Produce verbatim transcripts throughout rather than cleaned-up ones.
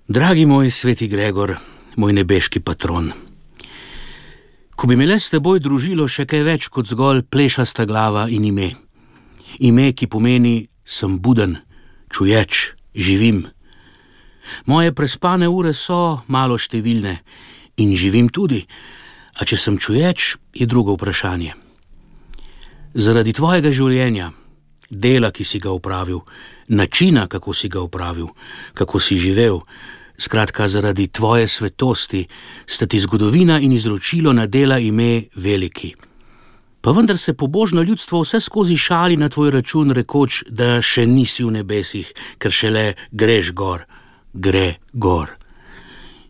Dragi moj sveti Gregor, moj nebeški patron, ko bi me le s teboj družilo še kaj več kot zgolj plešasta glava in ime. Ime, ki pomeni, sem buden, čuječ, živim. Moje prespane ure so malo številne in živim tudi, a če sem čuječ, je drugo vprašanje. Zaradi tvojega življenja, dela, ki si ga opravil, načina, kako si ga opravil, kako si živel, skratka, zaradi tvoje svetosti, sta ti zgodovina in izročilo nadela ime veliki. Pa vendar se pobožno ljudstvo vse skozi šali na tvoj račun, rekoč, da še nisi v nebesih, ker šele greš gor, gre gor.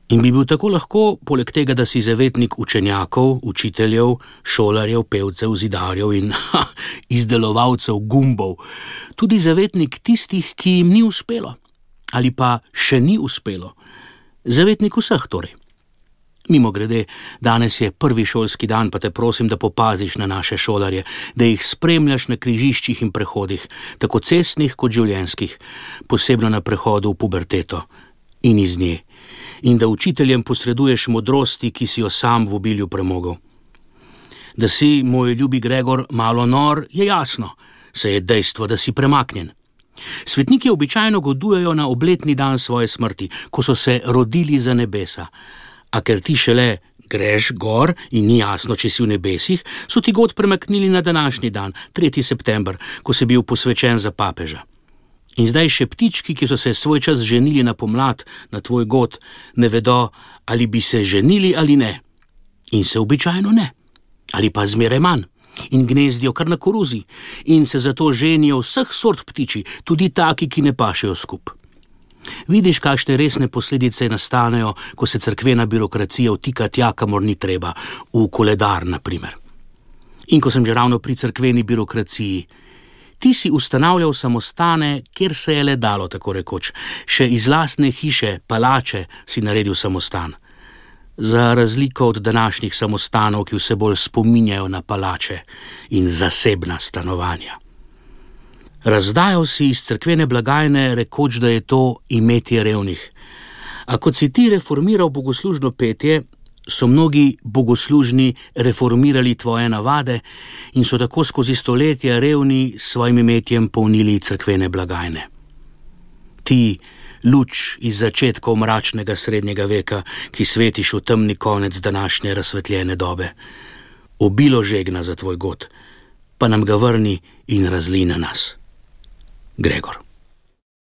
In bi bil tako lahko, poleg tega, da si zavetnik učenjakov, učiteljev, šolarjev, pevcev, zidarjev in ha, izdelovalcev gumbov, tudi zavetnik tistih, ki jim ni uspelo, ali pa še ni uspelo. Zavetnik vseh torej. Mimogrede, danes je prvi šolski dan, pa te prosim, da popaziš na naše šolarje, da jih spremljaš na križiščih in prehodih, tako cestnih kot življenjskih, posebno na prehodu v puberteto in iz nje, in da učiteljem posreduješ modrosti, ki si jo sam v obilju premogel. Da si, moj ljubi Gregor, malo nor, je jasno, saj je dejstvo, da si premaknjen. Svetniki običajno godujejo na obletni dan svoje smrti, ko so se rodili za nebesa. A ker ti šele greš gor in ni jasno, če si v nebesih, so ti god premaknili na današnji dan, tretji september, ko si bil posvečen za papeža. In zdaj še ptički, ki so se svoj čas ženili na pomlad, na tvoj god, ne vedo, ali bi se ženili ali ne. In se običajno ne. Ali pa zmeraj manj. In gnezdijo kar na koruzi. In se zato ženijo vseh sort ptiči, tudi taki, ki ne pašejo skup. Vidiš, kakšne resne posledice nastanejo, ko se cerkvena birokracija vtika tja, kamor ni treba, v koledar, na primer. In ko sem že ravno pri cerkveni birokraciji, ti si ustanavljal samostane, kjer se je le dalo, tako rekoč. Še iz lastne hiše, palače, si naredil samostan. Za razliko od današnjih samostanov, ki vse bolj spominjajo na palače in zasebna stanovanja. Razdajal si iz cerkvene blagajne, rekoč, da je to imetje revnih. A kot si ti reformiral bogoslužno petje, so mnogi bogoslužni reformirali tvoje navade in so tako skozi stoletja revni s svojim imetjem polnili cerkvene blagajne. Ti, luč iz začetkov mračnega srednjega veka, ki svetiš v temni konec današnje razsvetljene dobe, obilo žegna za tvoj god, pa nam ga vrni in razli na nas. Gregor.